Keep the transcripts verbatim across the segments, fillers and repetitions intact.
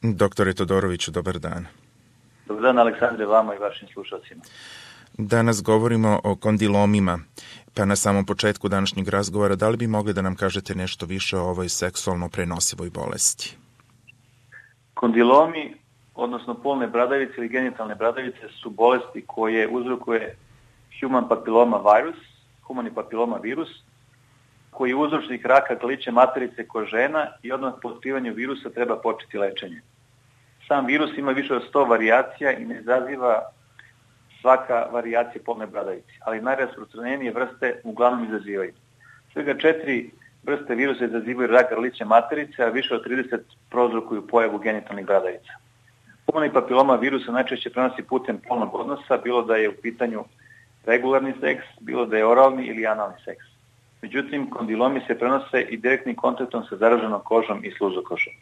Doktore Todoroviću, dobar dan. Dobar dan, Aleksandre, vama i vašim slušalcima. Danas govorimo o kondilomima, pa na samom početku današnjeg razgovora, da li bi mogli da nam kažete nešto više o ovoj seksualno prenosivoj bolesti? Kondilomi, odnosno polne bradavice ili genitalne bradavice, su bolesti koje uzrokuje human papiloma virus, humani papiloma virus, koji je uzročnik raka grlića materice kod žena i odmah po otkrivanju virusa treba početi lečenje. Sam virus ima više od sto varijacija i ne izaziva svaka varijacija polne bradavice, ali najrasprostranjenije vrste uglavnom izazivaju. Svega četiri vrste virusa izazivaju rak grlića materice, a više od trideset prouzrokuju pojavu genitalnih bradavica. Humani papiloma virusa najčešće prenosi putem polnog odnosa, bilo da je u pitanju regularni seks, bilo da je oralni ili analni seks. Međutim, kondilomi se prenose i direktnim kontaktom sa zaraženom kožom i sluzokošom.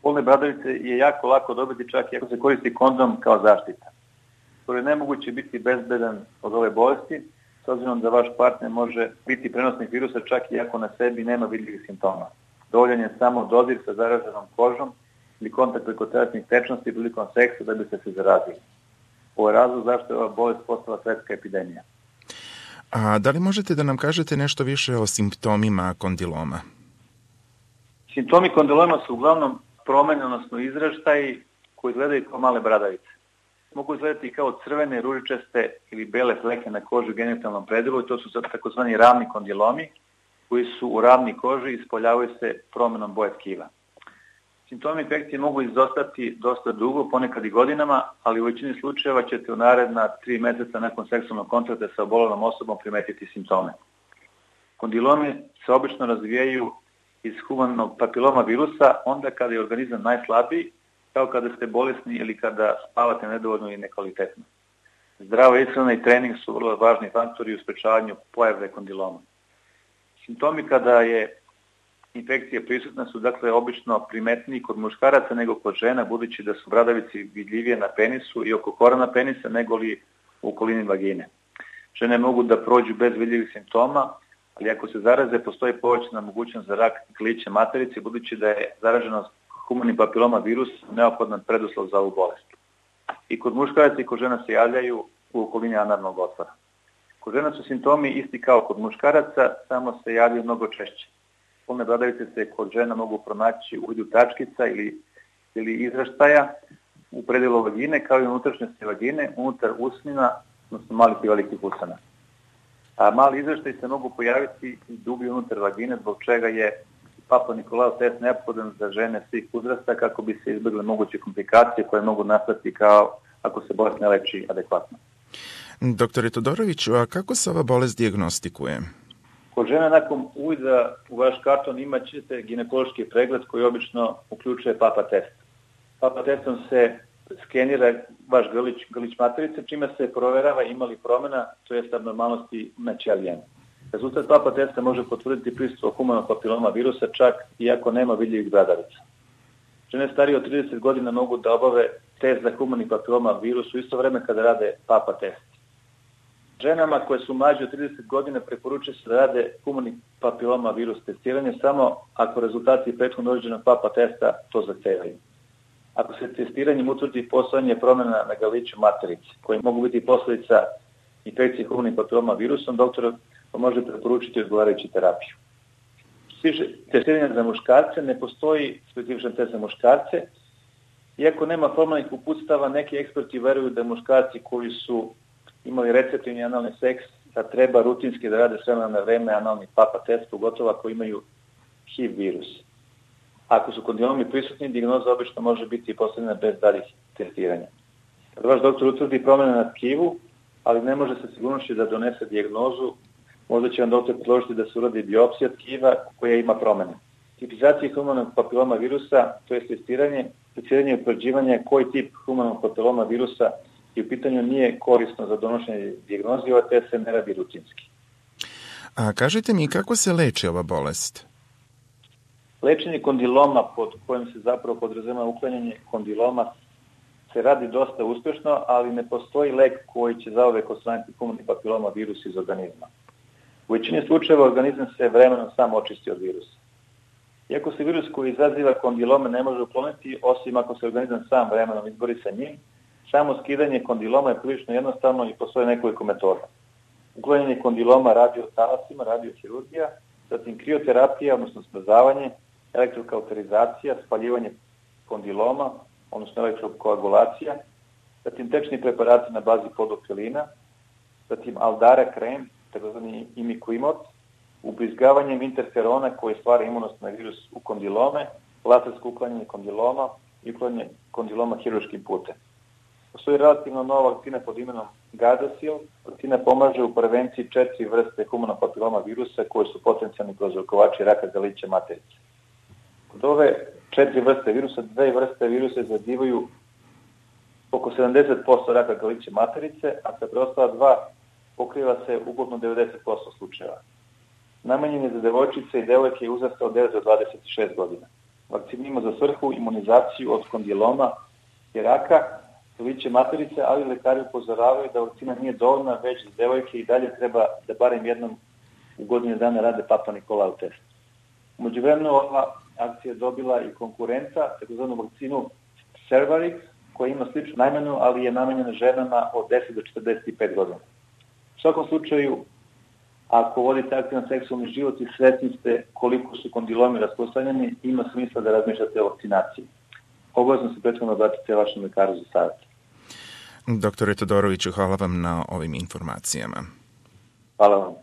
Polne bradavice je jako lako dobiti čak i ako se koristi kondom kao zaštita. To je nemoguće biti bezbedan od ove bolesti, s obzirom da vaš partner može biti prenosnik virusa čak i ako na sebi nema vidljivih simptoma. Dovoljan je samo dodir sa zaraženom kožom ili kontakt preko telesnih tečnosti prilikom seksa da bi se se zarazili. Ovo je razlog zašto je ova bolest postala svetska epidemija. A da li možete da nam kažete nešto više o simptomima kondiloma? Simptomi kondiloma su uglavnom promene, odnosno izraštaji koji izgledaju kao male bradavice. Mogu izgledati kao crvene, ružičaste ili bele fleke na koži u genitalnom predelu i to su takozvani ravni kondilomi koji su u ravni koži i ispoljavaju se promenom boje tkiva. Simptomi infekcije mogu izostati dosta dugo, ponekad i godinama, ali u većini slučajeva ćete u naredna tri meseca nakon seksualnog kontakta sa obolelom osobom primetiti simptome. Kondilomi se obično razvijaju iz humanog papiloma virusa onda kada je organizam najslabiji, kao kada ste bolesni ili kada spavate nedovoljno i nekvalitetno. Zdrava ishrana i trening su vrlo važni faktori u sprečavanju pojave kondiloma. Simptomi kada je infekcija prisutna su dakle obično primetniji kod muškaraca nego kod žena, budući da su bradavici vidljivije na penisu i oko korana penisa nego li u okolini vagine. Žene mogu da prođu bez vidljivih simptoma, ali ako se zaraze, postoji povećana mogućnost za rak grlića materice, budući da je zaraženost humani papiloma virus neophodan preduslov za ovu bolest. I kod muškaraca i kod žena se javljaju u okolini analnog otvora. Kod žena su simptomi isti kao kod muškaraca, samo se javljaju mnogo češće. Polne bradavice se kod žena mogu pronaći u vidu tačkica ili, ili izraštaja u predelu vagine, kao i unutrašnjosti vagine, unutar usnina, odnosno malih i velikih usana. A mali izraštaj se mogu pojaviti i dublje unutar vagine, zbog čega je Papa Nikolao test neophodan za žene svih uzrasta kako bi se izbjegle moguće komplikacije koje mogu nastati kao ako se bolest ne leči adekvatno. Doktore Todoroviću, a kako se ova bolest dijagnostikuje? Kod žena nakon uvida u vaš karton imat ćete ginekološki pregled koji obično uključuje papa test. Papa testom se skenira vaš grlić, grlić materice, čime se proverava ima li promjena, to jest abnormalnosti na ćelijama. Rezultat papa testa može potvrditi prisustvo humanog papiloma virusa čak i ako nema vidljivih bradavica. Žene starije od trideset godina mogu da obave test za humani papiloma virus u isto vreme kada rade papa test. Ženama koje su mlađe od trideset godina preporučuje se da rade humani papiloma virus testiranje samo ako rezultati prethodno određenog papa testa to zahtevaju. Ako se testiranjem utvrdi postojanje promjena na grliću materice, koji mogu biti posljedica infekcije humanim papiloma virusom, doktor može preporučiti odgovarajuću terapiju. Testiranje za muškarce ne postoji specifičan test za muškarce. Iako nema formalnih uputstava, neki eksperti veruju da muškarci koji su imali receptivni analni seks, da treba rutinski da rade s vremena na vreme analni papa test, pogotovo ako imaju H I V virus. Ako su kondilomi prisutni, dijagnoza obično može biti postavljena bez daljih testiranja. Kada vaš doktor utvrdi promjene na tkivu, ali ne može sa sigurnošću da donese dijagnozu, možda će vam doktor predložiti da se uradi biopsija tkiva koja ima promjene. Tipizacija humanog papiloma virusa, to je testiranje, testiranje i utvrđivanje koji tip humanog papiloma virusa i u pitanju nije korisno za donošenje dijagnoze, ova test se ne radi rutinski. A kažite mi, kako se leči ova bolest? Lečenje kondiloma, pod kojim se zapravo podrazumeva uklanjanje kondiloma, se radi dosta uspješno, ali ne postoji lek koji će zauvek odstraniti humani papiloma virus iz organizma. U većini slučajeva organizam se vremenom sam očisti od virusa. Iako se virus koji izaziva kondilome ne može ukloniti, osim ako se organizam sam vremenom izbori sa njim, samo skidanje kondiloma je prilično jednostavno i postoje nekoliko metoda. Uklanjanje kondiloma radiotalasima, radiohirurgija, zatim krioterapija, odnosno smrzavanje, elektrokauterizacija, spaljivanje kondiloma, odnosno elektrokoagulacija, zatim tečni preparati na bazi podofilina, zatim Aldara krem, takozvani imikuimot, ubrizgavanjem interferona koji stvara imunost na virus u kondilome, lasersko uklanjanje kondiloma i uklanjanje kondiloma hirurškim putem. Postoji relativno nova vakcina pod imenom Gardasil. Vakcina pomaže u prevenciji četiri vrste humanopapiloma virusa koji su potencijalni prouzrokovači raka grlića materice. Kod ove četiri vrste virusa, dve vrste virusa izazivaju oko sedamdeset posto raka grlića materice, a sa preostala dva pokriva se uglavnom devedeset posto slučajeva. Namenjen je za devojčice i devojke uzrasta od devet do dvadeset šest godina. Vakcina ima za svrhu imunizaciju od kondiloma i raka grlića materice, ali lekari upozoravaju da vakcina nije dovoljna, već da devojke i dalje treba da barem jednom u godinu dana rade Papa Nikolau test. U međuvremenu ova akcija je dobila i konkurenta, takozvanu vakcinu Cervarix, koja ima sličnu namenu, ali je namenjena ženama od deset do četrdeset pet godina. U svakom slučaju, ako vodite aktivan seksualni život i svesni ste koliko su kondilomi rasprostranjeni, ima smisla da razmišljate o vakcinaciji. Obavezno se prethodno obratite vašem lekaru za savjet. Doktore Todoroviću, hvala vam na ovim informacijama. Hvala vam.